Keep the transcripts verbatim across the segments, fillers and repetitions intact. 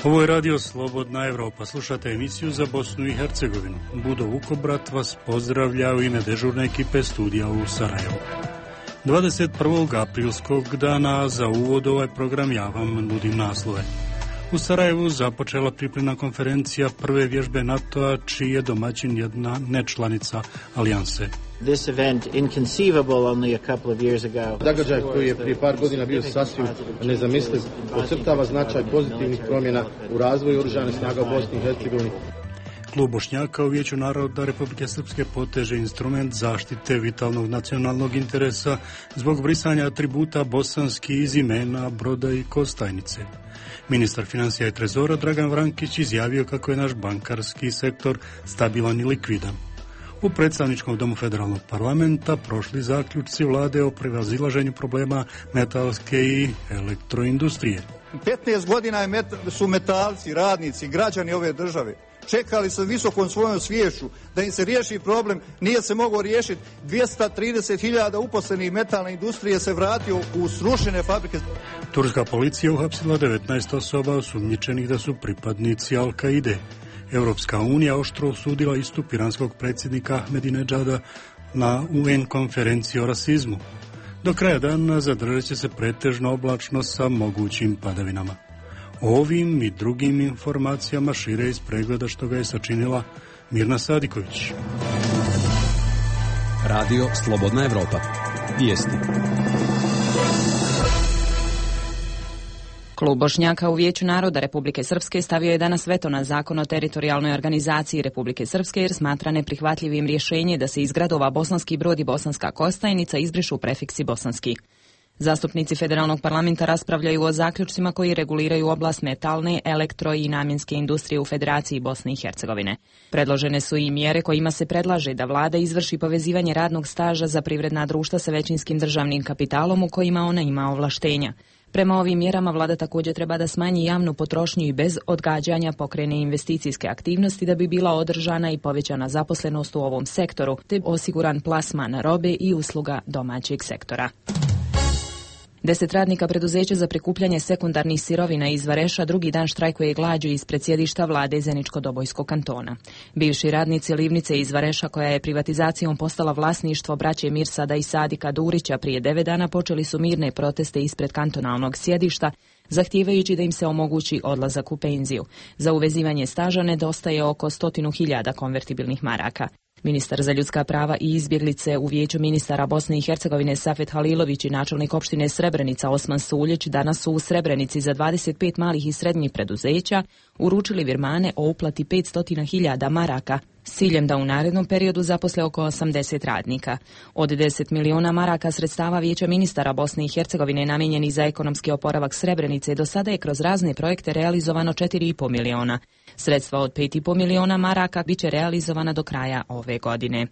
Ovo je Radio Slobodna Evropa. Slušate emisiju za Bosnu i Hercegovinu. Budo Vukobrat vas pozdravlja u ime dežurne ekipe studija u Sarajevu. dvadeset prvog aprilskog dana za uvod ovaj program ja vam nudim naslove. U Sarajevu započela pripremna konferencija prve vježbe NATO-a, čiji je domaćin jedna nečlanica alijanse. This event inconceivable only a couple of years ago. Događaj koji je prije par godina bio sasvim nezamisliv, podcrtava značaj pozitivnih promjena u razvoju oružanih snaga u Bosni i Hercegovini. Klub Bošnjaka u Vijeću naroda Republike Srpske poteže instrument zaštite vitalnog nacionalnog interesa zbog brisanja atributa bosanski iz imena Broda i Kostajnice. Ministar financija i trezora Dragan Vrankić izjavio kako je naš bankarski sektor stabilan i likvidan. U predstavničkom domu federalnog parlamenta prošli zaključci vlade o prevazilaženju problema metalske i elektroindustrije. petnaest godina je met, su metalci, radnici, građani ove države čekali sa visokom svojom sviješću da im se riješi problem, nije se mogao riješiti. dvjesto trideset hiljada uposlenih metalne industrije se vratio u srušene fabrike. Turska policija uhapsila devetnaest osoba osumnjičenih da su pripadnici Al-Kaide. Europska unija oštro osudila istup iranskog predsjednika Ahmedinedžada na U N konferenciji o rasizmu. Do kraja dana zadržat će se pretežno oblačno sa mogućim padavinama. O ovim i drugim informacijama šire iz pregleda što ga je sačinila Mirna Sadiković. Radio Slobodna Evropa. Vijesti. Klub Bošnjaka u Vijeću naroda Republike Srpske stavio je danas veto na zakon o teritorijalnoj organizaciji Republike Srpske jer smatra neprihvatljivim rješenje da se iz gradova Bosanski Brod i Bosanska Kostajnica izbrišu prefiksi bosanski. Zastupnici federalnog parlamenta raspravljaju o zaključcima koji reguliraju oblast metalne, elektro i namjenske industrije u Federaciji Bosne i Hercegovine. Predložene su i mjere kojima se predlaže da vlada izvrši povezivanje radnog staža za privredna društva sa većinskim državnim kapitalom u kojima ona ima ovlaštenja. Prema ovim mjerama vlada također treba da smanji javnu potrošnju i bez odgađanja pokrene investicijske aktivnosti da bi bila održana i povećana zaposlenost u ovom sektoru, te osiguran plasman robe i usluga domaćeg sektora. Deset radnika preduzeća za prikupljanje sekundarnih sirovina iz Vareša drugi dan štrajkuje glađu ispred sjedišta vlade Zeničko-Dobojskog kantona. Bivši radnici livnice iz Vareša, koja je privatizacijom postala vlasništvo braće Mirsada i Sadika Durića, prije devet dana počeli su mirne proteste ispred kantonalnog sjedišta, zahtijevajući da im se omogući odlazak u penziju. Za uvezivanje staža nedostaje oko stotinu hiljada konvertibilnih maraka. Ministar za ljudska prava i izbjeglice u Vijeću ministara Bosne i Hercegovine Safet Halilović i načelnik opštine Srebrenica Osman Suljić danas su u Srebrenici za dvadeset pet malih i srednjih preduzeća uručili virmane o uplati petsto hiljada maraka s ciljem da u narednom periodu zaposle oko osamdeset radnika. Od deset miliona maraka sredstava Vijeća ministara Bosne i Hercegovine namijenjenih za ekonomski oporavak Srebrenice do sada je kroz razne projekte realizovano četiri i pol miliona. Sredstva od pet i pol miliona maraka biće realizovana do kraja ove godine.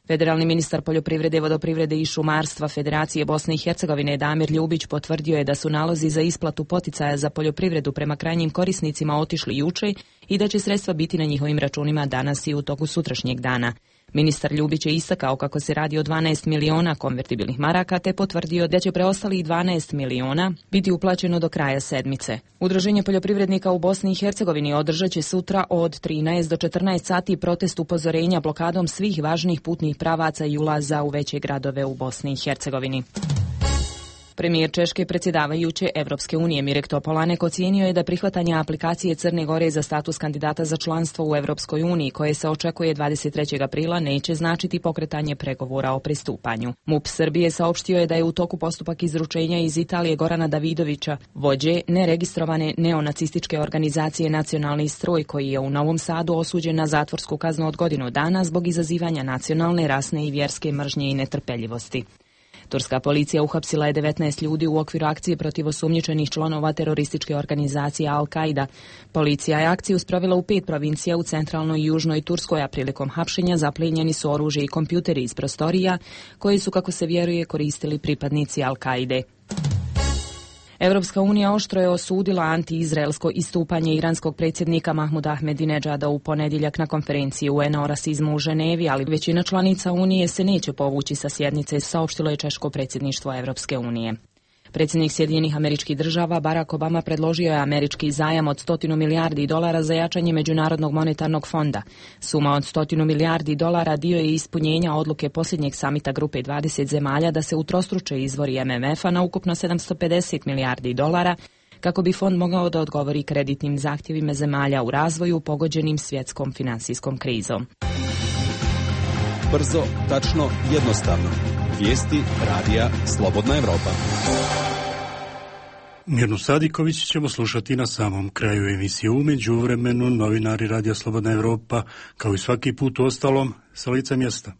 Federalni ministar poljoprivrede, vodoprivrede i šumarstva Federacije Bosne i Hercegovine Damir Ljubić potvrdio je da su nalozi za isplatu poticaja za poljoprivredu prema krajnjim korisnicima otišli juče i da će sredstva biti na njihovim računima danas i u toku sutrašnjeg dana. Ministar Ljubić je istakao kako se radi o dvanaest miliona konvertibilnih maraka, te potvrdio da će preostalih dvanaest miliona biti uplaćeno do kraja sedmice. Udruženje poljoprivrednika u Bosni i Hercegovini održat će sutra od trinaest do četrnaest sati protest upozorenja blokadom svih važnih putnih pravaca i ulaza u veće gradove u Bosni i Hercegovini. Premijer Češke predsjedavajuće Evropske unije Mirek Topolanek ocijenio je da prihvatanje aplikacije Crne Gore za status kandidata za članstvo u Evropskoj uniji, koje se očekuje dvadeset trećeg aprila, neće značiti pokretanje pregovora o pristupanju. MUP Srbije saopštio je da je u toku postupak izručenja iz Italije Gorana Davidovića, vođe neregistrovane neonacističke organizacije Nacionalni stroj, koji je u Novom Sadu osuđen na zatvorsku kaznu od godinu dana zbog izazivanja nacionalne, rasne i vjerske mržnje i netrpeljivosti. Turska policija uhapsila je devetnaest ljudi u okviru akcije protiv osumnjičenih članova terorističke organizacije Al-Kaida. Policija je akciju sprovela u pet provincija u centralnoj i južnoj Turskoj, a prilikom hapšenja zaplijenjeni su oružje i kompjuteri iz prostorija koje su, kako se vjeruje, koristili pripadnici Al-Kaide. Evropska unija oštro je osudila anti-izraelsko istupanje iranskog predsjednika Mahmuda Ahmedinedžada u ponedjeljak na konferenciji U N-a o rasizmu u Ženevi, ali većina članica Unije se neće povući sa sjednice, saopštilo je češko predsjedništvo Evropske unije. Predsjednik Sjedinjenih Američkih Država Barack Obama predložio je američki zajam od stotinu milijardi dolara za jačanje Međunarodnog monetarnog fonda. Suma od stotinu milijardi dolara dio je ispunjenja odluke posljednjeg samita grupe dvadeset zemalja da se utrostruče izvori M M F-a na ukupno sedamsto pedeset milijardi dolara, kako bi fond mogao da odgovori kreditnim zahtjevima zemalja u razvoju pogođenim svjetskom financijskom krizom. Brzo, tačno, jednostavno. Vijesti radija Slobodna Evropa. Mirnu Sadiković ćemo slušati na samom kraju emisije. U međuvremenu novinari radija Slobodna Evropa, kao i svaki put u ostalom, sa lica mjesta.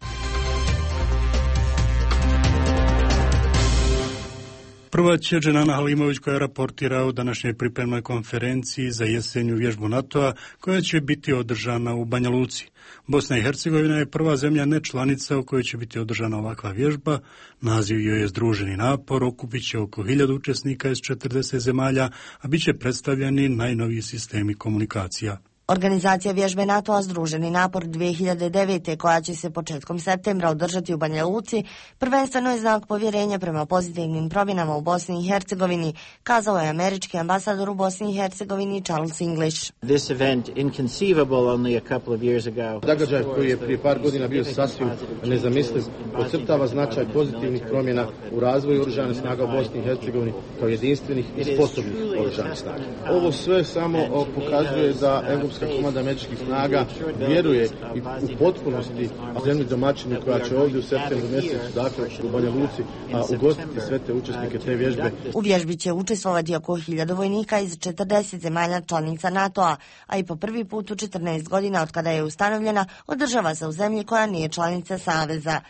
Prva će Dženana Halimović koja raportira o današnjoj pripremnoj konferenciji za jesenju vježbu NATO-a koja će biti održana u Banja Luci. Bosna i Hercegovina je prva zemlja nečlanica u kojoj će biti održana ovakva vježba. Naziv joj je Združeni napor, okupit će oko hiljadu učesnika iz četrdeset zemalja, a bit će predstavljeni najnoviji sistemi komunikacija. Organizacija vježbe NATO-a Združeni napor dvije hiljade devete, koja će se početkom septembra održati u Banja Luci, prvenstveno je znak povjerenja prema pozitivnim promjenama u Bosni i Hercegovini, kazao je američki ambasador u Bosni i Hercegovini Charles English. This event, inconceivable only a couple of years ago. Događaj koji je prije par godina bio sasvim nezamisliv, podcrtava značaj pozitivnih promjena u razvoju oružanih snaga u Bosni i Hercegovini kao jedinstvenih i sposobnih oružanih snaga. Ovo sve samo pokazuje da Evropska komanda američkih snaga vjeruje i u potpunosti zemlji domaćini koja će ovdje u septembru mjesecu, dakle u Banja Luci, a ugostiti sve te učesnike te vježbe. U vježbi će učestvovati oko hiljadu vojnika iz četrdeset zemalja članica NATO-a, a i po prvi put u četrnaest godina od kada je ustanovljena, održava se u zemlji koja nije članica Saveza.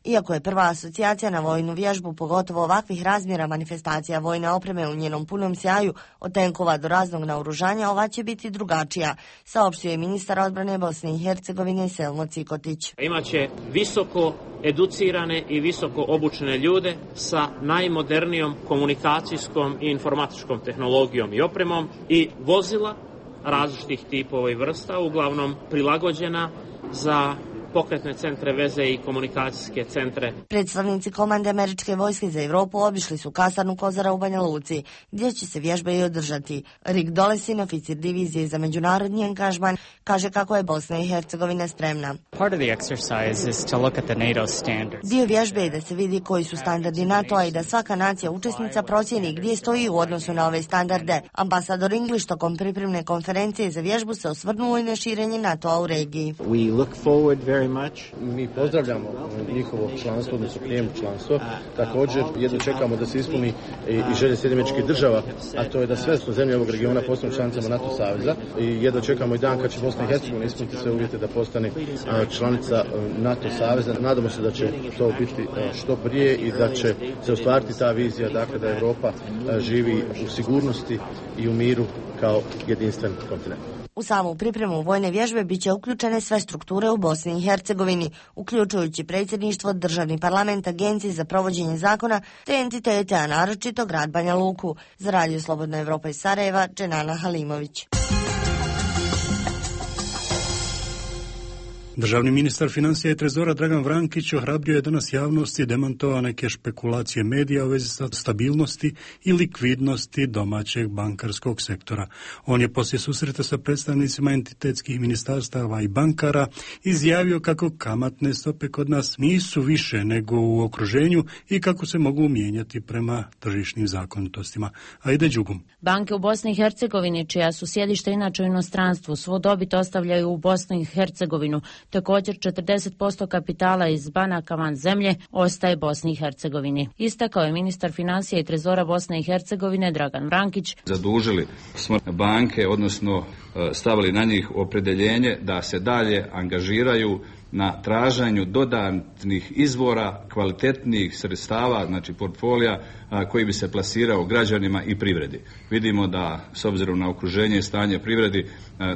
Iako je prva asocijacija na vojnu vježbu, pogotovo ovakvih razmjera manifestacija vojne opreme u njenom punom sjaju, od tenkova do raznog naoružanja, ova će biti drugačija, saopštio je ministar odbrane Bosne i Hercegovine Selmo Cikotić. Imaće visoko educirane i visoko obučene ljude sa najmodernijom komunikacijskom i informatičkom tehnologijom i opremom i vozila različitih tipova i vrsta, uglavnom prilagođena za pokretne centre veze i komunikacijske centre. Predstavnici komande američke vojske za Europu obišli su kasarnu Kozara u Banja Luci, gdje će se vježbe i održati. Rick Dolesin, oficir divizije za međunarodni angažman, kaže kako je Bosna i Hercegovina spremna. Part of the exercise is to look at the NATO standards. Dio vježbe je da se vidi koji su standardi NATO-a i da svaka nacija učesnica procjeni gdje stoji u odnosu na ove standarde. Ambasador English tokom pripremne konferencije za vježbu se osvrnuo i na širenje NATO-a u regiji. We look forward very much. Mi pozdravljamo njihovo članstvo, odnosno prijem članstvo. Također jedno čekamo da se ispuni i želje Sjedinjenih Američkih Država, a to je da sve su zemlje ovog regiona postanu članicama NATO saveza. I jedno čekamo i dan kad će Bosna i Hercegovina ispuniti sve uvjete da postane članica NATO saveza. Nadamo se da će to biti što prije i da će se ostvariti ta vizija, dakle da Europa živi u sigurnosti i u miru kao jedinstven kontinent. U samu pripremu vojne vježbe bit će uključene sve strukture u Bosni i Hercegovini, uključujući predsjedništvo, državni parlament, agencije za provođenje zakona te entitete, a naročito grad Banja Luku. Za Radio Slobodna Evropa iz Sarajeva, Dženana Halimović. Državni ministar financija i trezora Dragan Vrankić ohrabrio je danas javnosti i demantovao neke špekulacije medija u vezi sa stabilnosti i likvidnosti domaćeg bankarskog sektora. On je poslije susreta sa predstavnicima entitetskih ministarstava i bankara izjavio kako kamatne stope kod nas nisu više nego u okruženju i kako se mogu mijenjati prema tržišnim zakonitostima. Ajde Đugum. Banke u Bosni i Hercegovini, čija su sjedišta inače u inostranstvu, svu dobit ostavljaju u Bosni i Hercegovinu. Također četrdeset posto kapitala iz banaka van zemlje ostaje Bosni i Hercegovini. Istakao je ministar financija i trezora Bosne i Hercegovine Dragan Vrankić. Zadužili smo banke, odnosno stavili na njih opredeljenje da se dalje angažiraju na traženju dodatnih izvora kvalitetnih sredstava, znači portfolija koji bi se plasirao građanima i privredi. Vidimo da s obzirom na okruženje i stanje privredi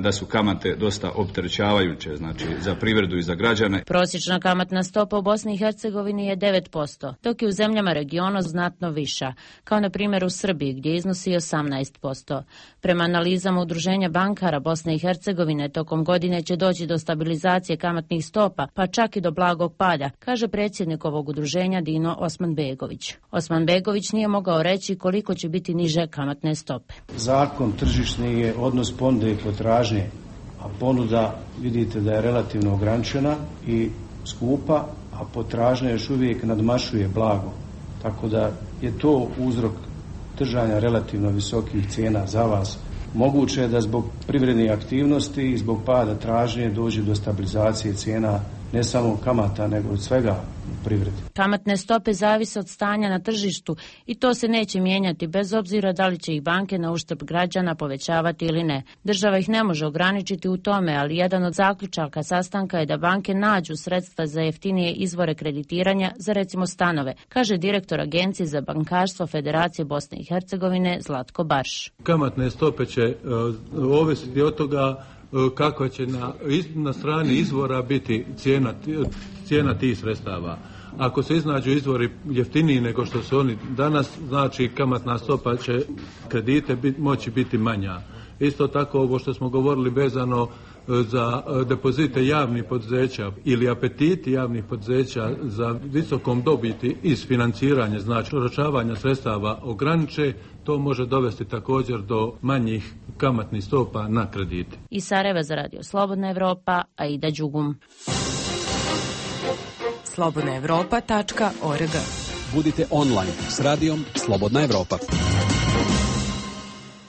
da su kamate dosta opterećavajuće, znači za privredu i za građane. Prosječna kamatna stopa u Bosni i Hercegovini je devet posto, dok je u zemljama regiona znatno viša, kao na primjer u Srbiji gdje iznosi osamnaest posto. Prema analizama Udruženja bankara Bosne i Hercegovine tokom godine će doći do stabilizacije kamatnih stopa, pa čak i do blagog pada, kaže predsjednik ovog udruženja Dino Osmanbegović. Osmanbegović Abradović nije mogao reći koliko će biti niže kamatne stope. Zakon tržišni je odnos ponude i potražnje, a ponuda vidite da je relativno ograničena i skupa, a potražnja još uvijek nadmašuje blago. Tako da je to uzrok držanja relativno visokih cijena za vas. Moguće je da zbog privrednih aktivnosti i zbog pada tražnje dođe do stabilizacije cijena ne samo kamata, nego od svega u privredi. Kamatne stope zavise od stanja na tržištu i to se neće mijenjati bez obzira da li će ih banke na uštrb građana povećavati ili ne. Država ih ne može ograničiti u tome, ali jedan od zaključaka sastanka je da banke nađu sredstva za jeftinije izvore kreditiranja za recimo stanove, kaže direktor Agencije za bankarstvo Federacije Bosne i Hercegovine Zlatko Barš. Kamatne stope će uh, ovisiti od toga kako će na, na strani izvora biti cijena, cijena tih sredstava. Ako se iznađu izvori jeftiniji nego što su oni danas, znači kamatna stopa će kredite bit, moći biti manja. Isto tako ovo što smo govorili vezano za depozite javnih poduzeća ili apetiti javnih poduzeća za visokom dobiti iz financiranja, znači oročavanja sredstava ograniče, to može dovesti također do manjih kamatnih stopa na kredite. Iz Sarajeva za Radio Slobodna Evropa, Aida Đugum. slobodna evropa tačka org. Budite online s radijom Slobodna Evropa.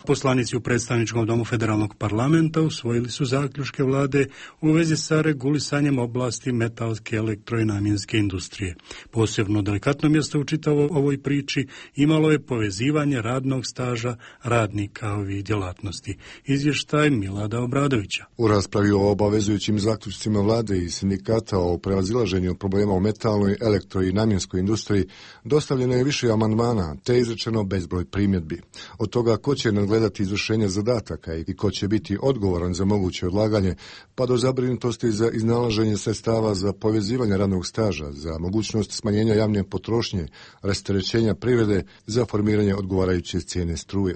Poslanici u predstavničkom domu federalnog parlamenta usvojili su zaključke vlade u vezi sa regulisanjem oblasti metalske, elektro i namjenske industrije. Posebno delikatno mjesto u čitavoj ovoj priči imalo je povezivanje radnog staža radnika ovih djelatnosti. Izvještaj Milada Obradovića. U raspravi o obavezujućim zaključcima vlade i sindikata o prevazilaženju problema u metalnoj, elektro i namjenskoj industriji dostavljeno je više amandmana, te izrečeno bezbroj primjedbi. Od toga ko će nadgledati izvršenje zadataka i ko će biti odgovoran za moguće odlaganje, pa do zabrinutosti za iznalaženje sredstava za povezivanje radnog staža, za mogućnost smanjenja javne potrošnje, rasterećenja privrede, za formiranje odgovarajuće cijene struje.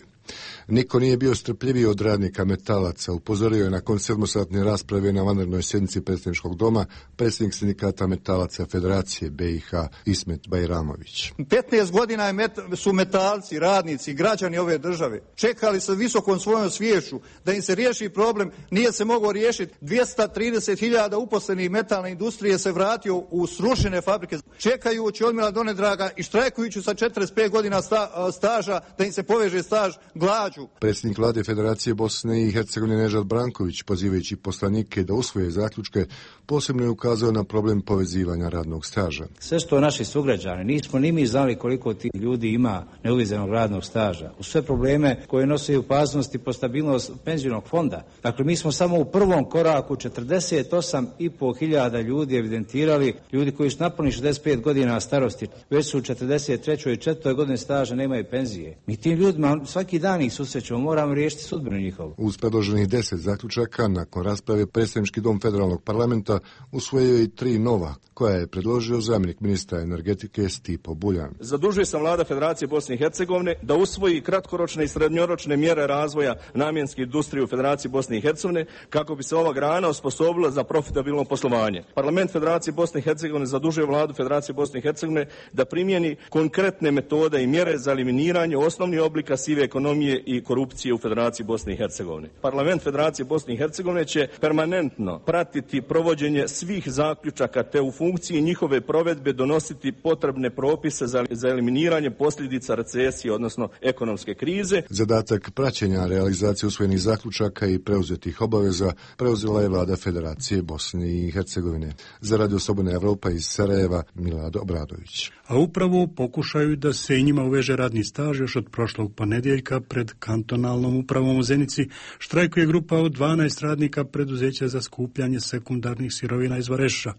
Niko nije bio strpljiviji od radnika metalaca, upozorio je nakon sedmosatne rasprave na vanrednoj sjednici predstavničkog doma predsjednik sindikata metalaca Federacije B i H Ismet Bajramović. petnaest godina je met, su metalci, radnici, građani ove države čekali sa visokom svojom sviješću da im se riješi problem, nije se mogao riješiti. dvjesto trideset hiljada uposlenih metalne industrije se vratio u srušene fabrike, čekajući odmila donedraga i štrajkujući sa četrdeset pet godina sta, staža da im se poveže staž glađu. Predsjednik vlade Federacije Bosne i Hercegovine Nežad Branković, pozivajući poslanike da usvoje zaključke, posebno je ukazao na problem povezivanja radnog staža. Sve što naši sugrađani, nismo ni mi znali koliko ti ljudi ima neuvezenog radnog staža. U sve probleme koje nose opasnost i po stabilnost penzionog fonda. Dakle, mi smo samo u prvom koraku četrdeset osam i pol hiljada ljudi evidentirali, ljudi koji su napunili šezdeset pet godina starosti, već su u četrdeset trećoj i četvrtoj godini staža, nemaju penzije. Mi tim ljudima svaki dan ih susrećemo, moramo riješiti sudbinu njihovu. Uz predloženih deset zaključaka, nakon rasprave predsjednički dom federalnog parlamenta usvojio i tri nova, koja je predložio zamjenik ministra energetike Stipo Buljan. Zadužuje sam vlada Federacije Bosne i Hercegovine da usvoji kratkoročne i srednjoročne mjere razvoja namjenske industrije u Federaciji Bosne i Hercegovine kako bi se ova grana osposobila za profitabilno poslovanje. Parlament Federacije Bosne i Hercegovine zadužuje vladu Federacije Bosne i Hercegovine da primjeni konkretne metode i mjere za eliminiranje osnovnih oblika sive ekonomije i korupcije u Federaciji Bosne i Hercegovine. Parlament Federacije Bosne i Hercegovine će permanentno pratiti provođenje svih zaključaka te u funkciji njihove provedbe donositi potrebne propise za, za eliminiranje posljedica recesije, odnosno ekonomske krize. Zadatak praćenja realizacije usvojenih zaključaka i preuzetih obaveza preuzela je vlada Federacije Bosne i Hercegovine. Za Radio Slobodna Evropa iz Sarajeva, Milad Obradović. A upravo pokušaju da se i njima uveže radni staž još od prošlog ponedjeljka pred kantonalnom upravom u Zenici štrajkuje grupa od dvanaest radnika preduzeća za skupljanje sekundarnih sirovina iz Vareša.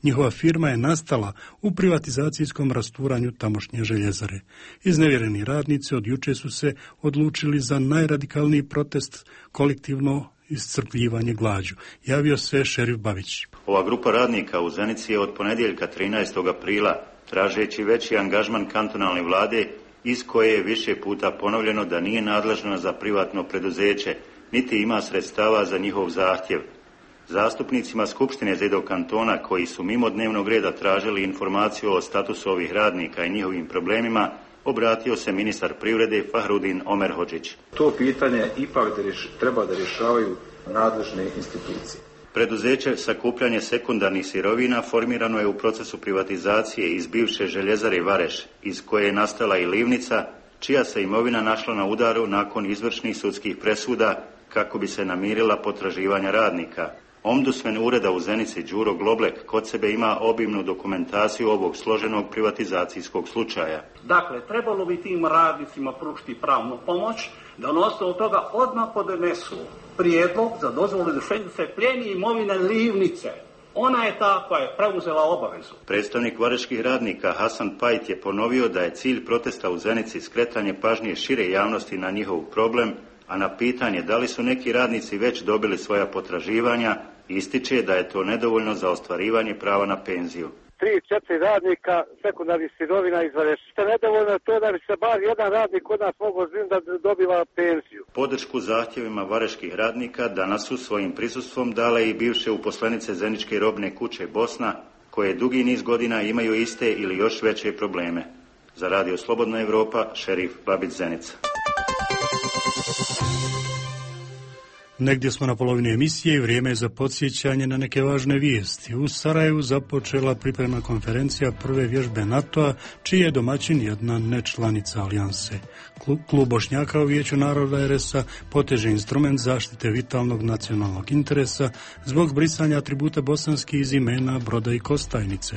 Njihova firma je nastala u privatizacijskom rasturanju tamošnje željezare. Iznevjereni radnici od juče su se odlučili za najradikalniji protest, kolektivno iscrpljivanje glađu. Javio se šerif Babić. Ova grupa radnika u Zenici je od ponedjeljka trinaestog aprila, tražeći veći angažman kantonalne vlade, iz koje je više puta ponovljeno da nije nadležna za privatno preduzeće, niti ima sredstava za njihov zahtjev. Zastupnicima Skupštine Zedog kantona, koji su mimo dnevnog reda tražili informaciju o statusu ovih radnika i njihovim problemima, obratio se ministar privrede Fahrudin Omerhodžić. To pitanje ipak da rješ, treba da rješavaju nadležne institucije. Preduzeće sakupljanje sekundarnih sirovina formirano je u procesu privatizacije iz bivše željezare Vareš, iz koje je nastala i livnica, čija se imovina našla na udaru nakon izvršnih sudskih presuda kako bi se namirila potraživanja radnika. Ombudsman ureda u Zenici Đuro Globlek kod sebe ima obimnu dokumentaciju ovog složenog privatizacijskog slučaja. Dakle, trebalo bi tim radnicima pružiti pravnu pomoć, da na osnovu toga odmah podnesu prijedlog za dozvolu izvršenja se plijeni imovine livnice. Ona je ta koja je preuzela obavezu. Predstavnik vareških radnika Hasan Pajt je ponovio da je cilj protesta u Zenici skretanje pažnje šire javnosti na njihov problem, a na pitanje da li su neki radnici već dobili svoja potraživanja, ističe da je to nedovoljno za ostvarivanje prava na penziju. Tri, četiri radnika sekundarnih sirovina iz Vareša. Što je nedovoljno to da bi se bar jedan radnik kod nas mogao zbim da dobiva penziju. Podršku zahtjevima vareških radnika danas su svojim prisustvom dale i bivše uposlenice Zeničke robne kuće Bosna, koje dugi niz godina imaju iste ili još veće probleme. Za Radio Slobodna Evropa, Šerif Babić, Zenica. Negdje smo na polovini emisije i vrijeme je za podsjećanje na neke važne vijesti. U Sarajevu započela pripremna konferencija prve vježbe NATO-a, čiji je domaćin jedna nečlanica alijanse. Klub Bošnjaka u Vijeću naroda er es a poteže instrument zaštite vitalnog nacionalnog interesa zbog brisanja atributa bosanskih iz imena, broda i Kostajnice.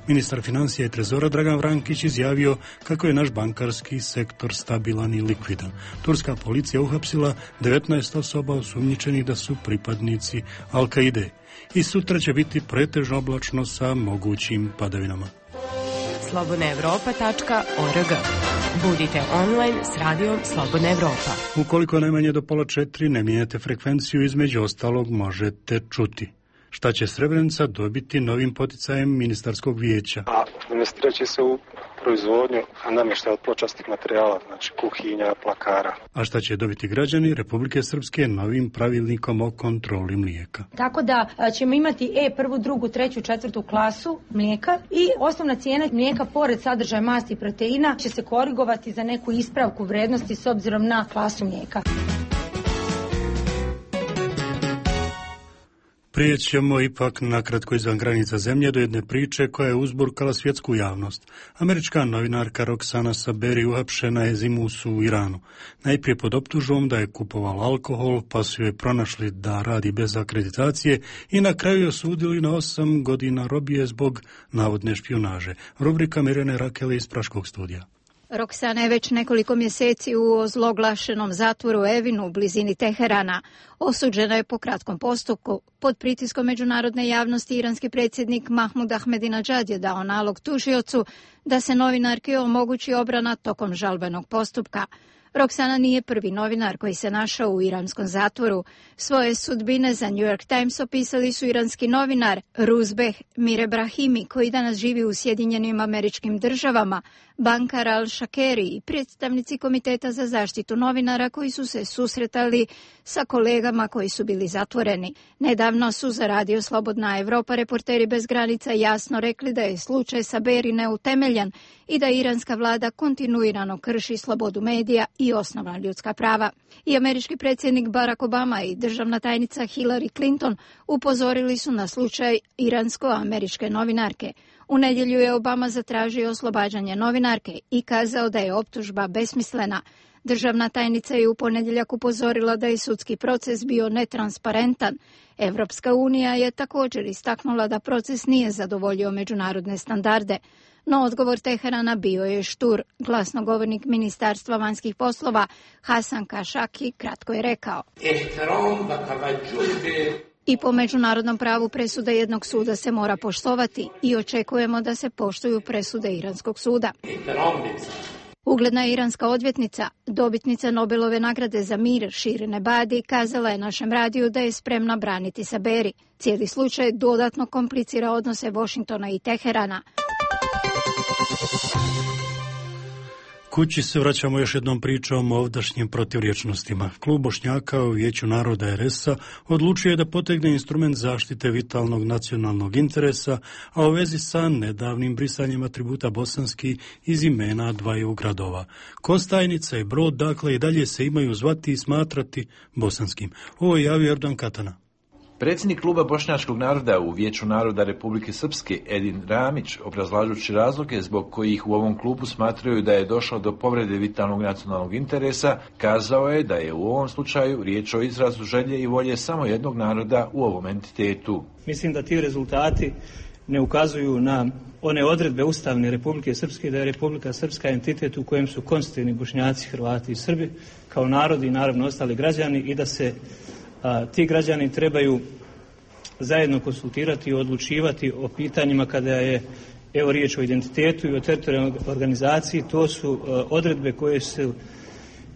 Ministar financija i trezora Dragan Vrankić izjavio kako je naš bankarski sektor stabilan i likvidan. Turska policija uhapsila devetnaest osoba osumnjičenih da su pripadnici Al-Kaide. I sutra će biti pretežno oblačno sa mogućim padavinama. slobodna evropa tačka org. Budite online s radijom Slobodna Evropa. Ukoliko najmanje do pola četiri ne mijenjate frekvenciju, između ostalog možete čuti. Šta će Srebrenica dobiti novim poticajem ministarskog vijeća? A investirat će se u proizvodnju namještaja od pločastih materijala, znači kuhinja, plakara. A šta će dobiti građani Republike Srpske novim pravilnikom o kontroli mlijeka? Tako da ćemo imati E prvu, drugu, treću, četvrtu klasu mlijeka i osnovna cijena mlijeka pored sadržaja masti i proteina će se korigovati za neku ispravku vrednosti s obzirom na klasu mlijeka. Prijećemo ipak nakratko izvan granica zemlje do jedne priče koja je uzburkala svjetsku javnost. Američka novinarka Roxana Saberi uhapšena je zimus u Iranu. Najprije pod optužbom da je kupovala alkohol, pa su joj pronašli da radi bez akreditacije i na kraju je osudili na osam godina robije zbog navodne špijunaže. Rubrika Mirjane Rakele iz Praškog studija. Roksana je već nekoliko mjeseci u ozloglašenom zatvoru Evinu u blizini Teherana. Osuđena je po kratkom postupku. Pod pritiskom međunarodne javnosti iranski predsjednik Mahmud Ahmadinejad je dao nalog tužiocu da se novinarki omogući obrana tokom žalbenog postupka. Roksana nije prvi novinar koji se našao u iranskom zatvoru. Svoje sudbine za New York Times opisali su iranski novinar Ruzbeh Mirebrahimi, koji danas živi u Sjedinjenim Američkim Državama, bankar Al-Shakeri i predstavnici Komiteta za zaštitu novinara koji su se susretali sa kolegama koji su bili zatvoreni. Nedavno su za Radio Slobodna Evropa reporteri bez granica jasno rekli da je slučaj Saberi neutemeljan i da iranska vlada kontinuirano krši slobodu medija i osnovna ljudska prava. I američki predsjednik Barack Obama i državna tajnica Hillary Clinton upozorili su na slučaj iransko-američke novinarke. U nedjelju je Obama zatražio oslobađanje novinarke i kazao da je optužba besmislena. Državna tajnica je u ponedjeljak upozorila da je sudski proces bio netransparentan. Evropska unija je također istaknula da proces nije zadovoljio međunarodne standarde. No odgovor Teherana bio je štur. Glasnogovornik Ministarstva vanjskih poslova Hasan Kašaki kratko je rekao: I po međunarodnom pravu presuda jednog suda se mora poštovati i očekujemo da se poštuju presude Iranskog suda. Ugledna iranska odvjetnica, dobitnica Nobelove nagrade za mir Shirin Ebadi, kazala je našem radiju da je spremna braniti Saberi. Cijeli slučaj dodatno komplicira odnose Washingtona i Teherana. Kući se vraćamo još jednom pričom o ovdašnjim protivriječnostima. Klub Bošnjaka u Vijeću naroda er es a odlučio je da potegne instrument zaštite vitalnog nacionalnog interesa, a u vezi sa nedavnim brisanjem atributa bosanski iz imena dvaju gradova. Kostajnica i Brod, dakle, i dalje se imaju zvati i smatrati bosanskim. Ovo je javio Erdogan Katana. Predsjednik kluba Bošnjačkog naroda u Vijeću naroda Republike Srpske Edin Ramić, obrazlažući razloge zbog kojih u ovom klubu smatraju da je došlo do povrede vitalnog nacionalnog interesa, kazao je da je u ovom slučaju riječ o izrazu želje i volje samo jednog naroda u ovom entitetu. Mislim da ti rezultati ne ukazuju na one odredbe ustavne Republike Srpske, da je Republika Srpska entitet u kojem su konstitutivni Bošnjaci, Hrvati i Srbi kao narodi i naravno ostali građani i da se a, ti građani trebaju zajedno konsultirati i odlučivati o pitanjima kada je evo riječ o identitetu i o teritorijalnoj organizaciji. To su a, odredbe koje su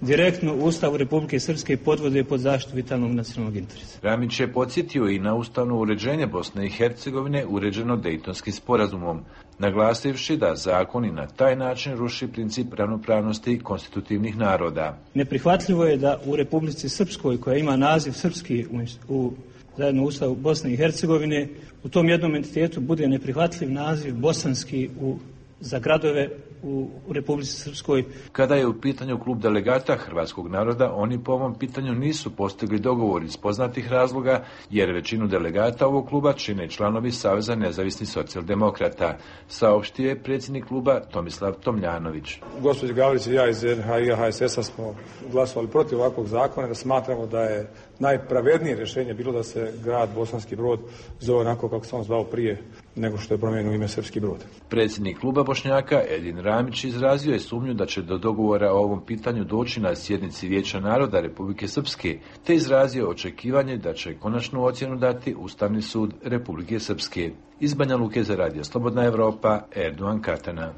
direktno u Ustavu Republike Srpske podvode pod zaštitu vitalnog nacionalnog interesa. Ramić je podsjetio i na ustavno uređenje Bosne i Hercegovine uređeno Dejtonskim sporazumom, naglasivši da zakoni na taj način ruši princip ravnopravnosti konstitutivnih naroda. Neprihvatljivo je da u Republici Srpskoj, koja ima naziv srpski u, u zajedno Ustavu Bosne i Hercegovine, u tom jednom entitetu bude neprihvatljiv naziv bosanski u, za gradove u Republici Srpskoj. Kada je u pitanju klub delegata hrvatskog naroda, oni po ovom pitanju nisu postigli dogovor iz poznatih razloga, jer većinu delegata ovog kluba čine članovi Saveza nezavisnih socijaldemokrata, saopštio je predsjednik kluba Tomislav Tomljanović. Gospođa Gavrić i ja iz en ha i ha es es a smo glasovali protiv ovakvog zakona, da smatramo da je najpravednije rješenje bilo da se grad Bosanski Brod zove onako kako se on zvao prije nego što je promijenio ime Srpski Brod. Predsjednik kluba Bošnjaka Edin Ramić izrazio je sumnju da će do dogovora o ovom pitanju doći na sjednici Vijeća naroda Republike Srpske, te izrazio očekivanje da će konačnu ocjenu dati Ustavni sud Republike Srpske. Iz Banja Luke za Radio Slobodna Evropa, Erdogan Katana.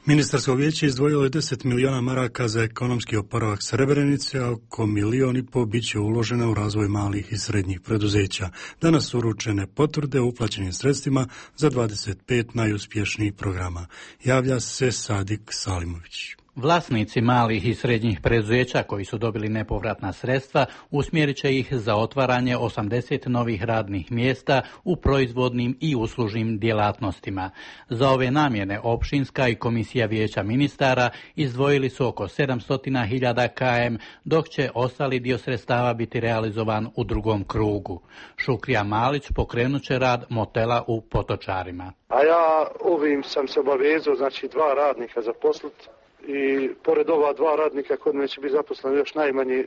Ministarsko vijeće izdvojilo je deset miliona maraka za ekonomski oporavak Srebrenice, a oko milion i pol bit će uloženo u razvoj malih i srednjih preduzeća. Danas su uručene potvrde o uplaćenim sredstvima za dvadeset pet najuspješnijih programa. Javlja se Sadik Salimović. Vlasnici malih i srednjih preduzeća koji su dobili nepovratna sredstva usmjerit će ih za otvaranje osamdeset novih radnih mjesta u proizvodnim i uslužnim djelatnostima. Za ove namjene općinska i komisija vijeća ministara izdvojili su oko sedamsto hiljada km, dok će ostali dio sredstava biti realizovan u drugom krugu. Šukrija Malić pokrenut će rad motela u Potočarima. A ja ovim sam se obavezao, znači dva radnika zaposliti. I pored ova dva radnika kod mene će biti zaposleno još najmanje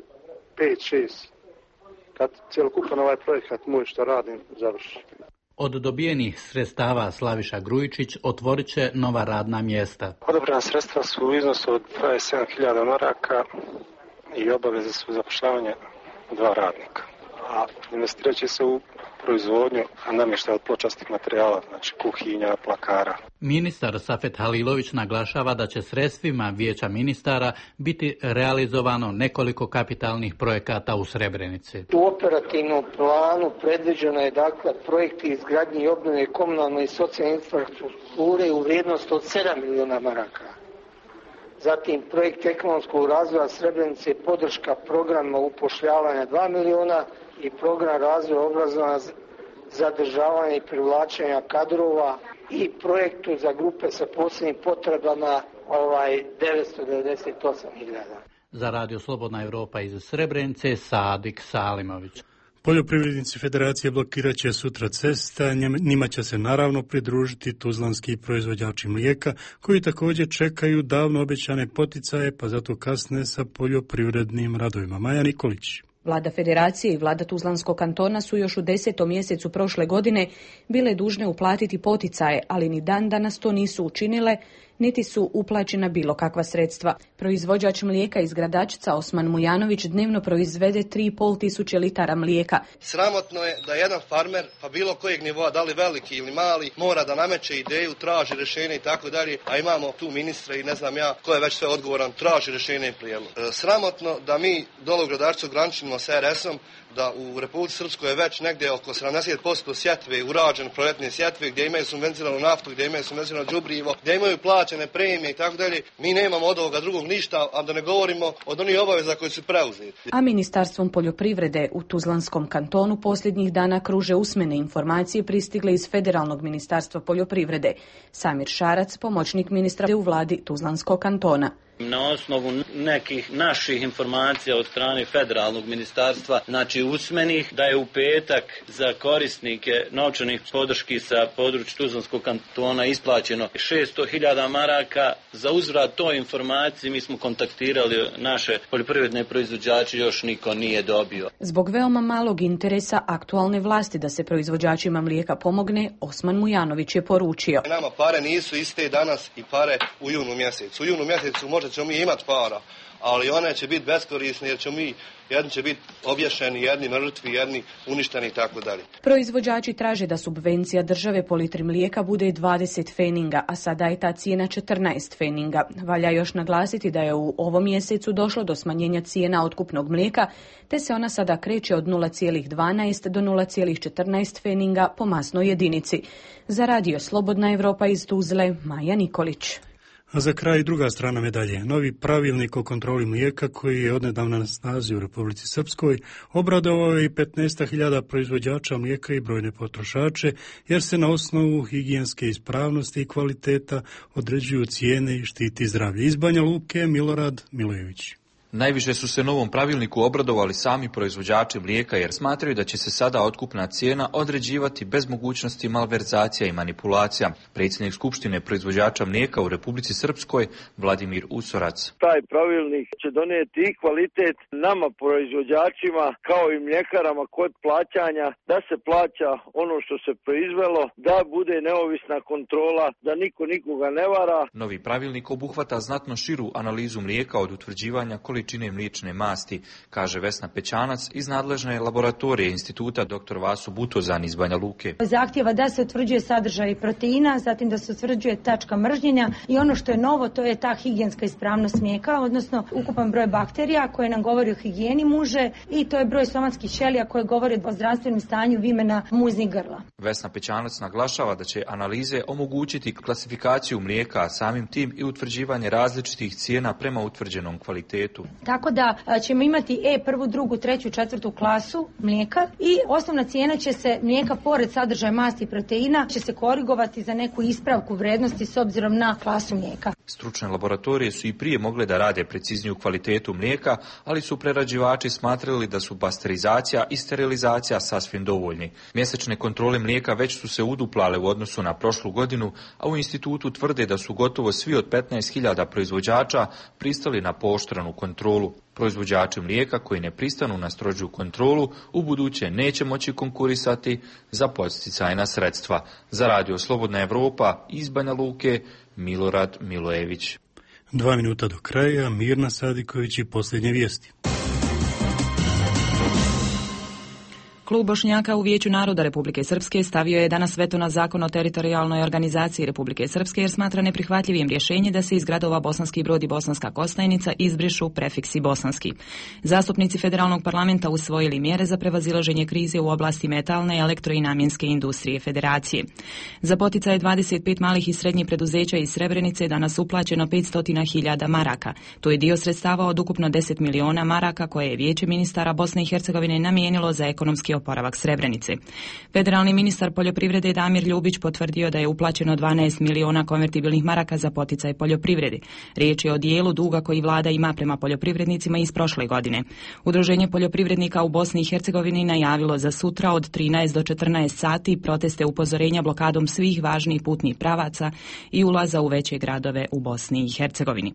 pet šest kad cjelokupan ovaj projekat moj što radim završi. Od dobijenih sredstava Slaviša Grujičić otvorit će nova radna mjesta. Odobrena sredstva su u iznosu od dvadeset sedam hiljada maraka i obaveze su zapošljavanje dva radnika. A investirat će se u proizvodnju namještaja od pločastih materijala, znači kuhinja, plakara. Ministar Safet Halilović naglašava da će sredstvima vijeća ministara biti realizovano nekoliko kapitalnih projekata u Srebrenici. U operativnom planu predviđeno je dakle projekti izgradnje i obnove komunalne i socijalne infrastrukture u vrijednosti od sedam miliona maraka. Zatim projekt ekonomskog razvoja Srebrenice i podrška programa upošljavanja dva miliona i program razvoja obrazovanja, zadržavanja i privlačenja kadrova i projektu za grupe sa posebnim potrebama ovaj devetsto devedeset osam hiljada. Za Radio Slobodna Evropa iz Srebrenice, Sadik Salimović. Poljoprivrednici Federacije blokirat će sutra cesta, njima će se naravno pridružiti tuzlanski proizvođači mlijeka, koji također čekaju davno obećane poticaje, pa zato kasne sa poljoprivrednim radovima. Maja Nikolić. Vlada Federacije i vlada Tuzlanskog kantona su još u desetom mjesecu prošle godine bile dužne uplatiti poticaje, ali ni dan danas to nisu učinile, niti su uplaćena bilo kakva sredstva. Proizvođač mlijeka iz Gradačca Osman Mujanović dnevno proizvede tri i pol tisuće litara mlijeka. Sramotno je da jedan farmer, pa bilo kojeg nivoa, da li veliki ili mali, mora da nameće ideju, traži rješenje i tako dalje, a imamo tu ministra i ne znam ja ko je već sve odgovoran, traži rješenje i prijedlog. Sramotno da mi dole u Gradačcu graničimo s er esom, da u Republici Srpskoj je već negdje oko sedamdeset posto sjetve urađen proljetne sjetve gdje imaju subvencionalnu naftu, gdje imaju subvencionalno đubrivo, gdje imaju plaćene premije i tako dalje. Mi nemamo od ovoga drugog ništa, a da ne govorimo od onih obaveza koji su preuzeti. A Ministarstvom poljoprivrede u Tuzlanskom kantonu posljednjih dana kruže usmene informacije pristigle iz Federalnog ministarstva poljoprivrede. Samir Šarac, pomoćnik ministra u vladi Tuzlanskog kantona. Na osnovu nekih naših informacija od strane federalnog ministarstva, znači usmenih, da je u petak za korisnike novčanih podrški sa područja Tuzlanskog kantona isplaćeno šesto hiljada maraka. Za uzvrat toj informaciji mi smo kontaktirali naše poljoprivredne proizvođače, još niko nije dobio. Zbog veoma malog interesa aktualne vlasti da se proizvođačima mlijeka pomogne, Osman Mujanović je poručio. Nama pare nisu iste danas i pare u junu mjesecu. U junu mjesecu možda ćemo mi imati para, ali one će biti beskorisne jer ćemo mi, jedni će biti obješeni, jedni mrtvi, jedni uništeni i tako dalje. Proizvođači traže da subvencija države po litri mlijeka bude dvadeset feninga, a sada je ta cijena četrnaest feninga. Valja još naglasiti da je u ovom mjesecu došlo do smanjenja cijena otkupnog mlijeka, te se ona sada kreće od nula zarez dvanaest do nula zarez četrnaest feninga po masnoj jedinici. Za radio Slobodna Evropa iz Tuzle, Maja Nikolić. A za kraj druga strana medalje. Novi pravilnik o kontroli mlijeka koji je odnedavna na snazi u Republici Srpskoj obradovao je i petnaest hiljada proizvođača mlijeka i brojne potrošače, jer se na osnovu higijenske ispravnosti i kvaliteta određuju cijene i štiti zdravlje. Iz Banja Luke, Milorad Milojević. Najviše su se novom pravilniku obradovali sami proizvođači mlijeka jer smatraju da će se sada otkupna cijena određivati bez mogućnosti malverzacija i manipulacija. Predsjednik Skupštine proizvođača mlijeka u Republici Srpskoj, Vladimir Usorac. Taj pravilnik će donijeti i kvalitet nama proizvođačima kao i mljekarama kod plaćanja, da se plaća ono što se proizvelo, da bude neovisna kontrola, da niko nikoga ne vara. Novi pravilnik obuhvata znatno širu analizu mlijeka od utvrđivanja količine mliječne masti, kaže Vesna Pećanac iz nadležne laboratorije instituta doktor Vaso Butozan iz Banja Luke. Zahtjeva da se utvrđuje sadržaj proteina, zatim da se utvrđuje tačka mržnjenja i ono što je novo to je ta higijenska ispravnost mlijeka, odnosno ukupan broj bakterija koje nam govori o higijeni muže i to je broj somatskih ćelija koje govori o zdravstvenom stanju vimena muznih grla. Vesna Pećanac naglašava da će analize omogućiti klasifikaciju mlijeka, a samim tim i utvrđivanje različitih cijena prema utvrđenom kvalitetu. Tako da ćemo imati E prvu, drugu, treću, četvrtu klasu mlijeka i osnovna cijena će se mlijeka pored sadržaja masti i proteina će se korigovati za neku ispravku vrednosti s obzirom na klasu mlijeka. Stručne laboratorije su i prije mogle da rade precizniju kvalitetu mlijeka, ali su prerađivači smatrali da su pasterizacija i sterilizacija sasvim dovoljni. Mjesečne kontrole mlijeka već su se uduplale u odnosu na prošlu godinu, a u institutu tvrde da su gotovo svi od petnaest hiljada proizvođača pristali na pooštrenu kontrolu. Proizvođači mlijeka koji ne pristanu na strožu kontrolu u buduće neće moći konkurisati za podsticajna sredstva. Za radio Slobodna Evropa iz Banja Luke, Milorad Milojević. Dva minuta do kraja, Mirna Sadiković i posljednje vijesti. Klub Bošnjaka u Vijeću naroda Republike Srpske stavio je danas veto na zakon o teritorijalnoj organizaciji Republike Srpske jer smatra neprihvatljivim rješenje da se iz gradova Bosanski Brod i Bosanska Kostajnica izbrišu prefiksi bosanski. Zastupnici federalnog parlamenta usvojili mjere za prevazilaženje krize u oblasti metalne, elektro i namjenske industrije federacije. Za poticaje dvadeset pet malih i srednjih preduzeća iz Srebrenice je danas uplaćeno petsto hiljada maraka. To je dio sredstava od ukupno deset miliona maraka koje je Vijeće ministara Bosne i Hercegovine namijenilo za ekonomski oporavak Srebrenice. Federalni ministar poljoprivrede Damir Ljubić potvrdio da je uplaćeno dvanaest miliona konvertibilnih maraka za poticaj poljoprivrede. Riječ je o dijelu duga koji vlada ima prema poljoprivrednicima iz prošle godine. Udruženje poljoprivrednika u Bosni i Hercegovini najavilo za sutra od trinaest do četrnaest sati proteste upozorenja blokadom svih važnih putnih pravaca i ulaza u veće gradove u Bosni i Hercegovini.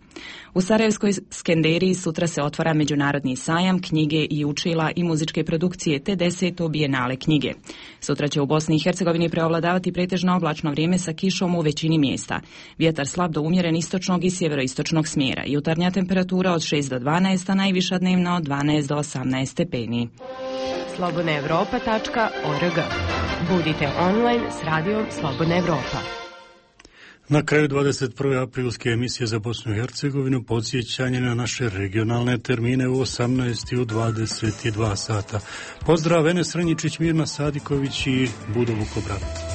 U Sarajevskoj Skenderiji sutra se otvara međunarodni sajam knjige i učila i muzičke produkcije te deset bijenale knjige. Sutra će u Bosni i Hercegovini preovladavati pretežno oblačno vrijeme sa kišom u većini mjesta. Vjetar slab do umjeren istočnog i sjeveroistočnog smjera. Jutarnja temperatura od šest do dvanaest, a najviša dnevna od dvanaest do osamnaest stepeni. slobodna evropa tačka org. Budite online s radijom Slobodna Evropa. Na kraju dvadeset prve aprilske emisije za Bosnu i Hercegovinu podsjećanje na naše regionalne termine u osamnaest i u dvadeset dva sata. Pozdrav, Enes Ranjičić, Mirna Sadiković i Budo Vukobran.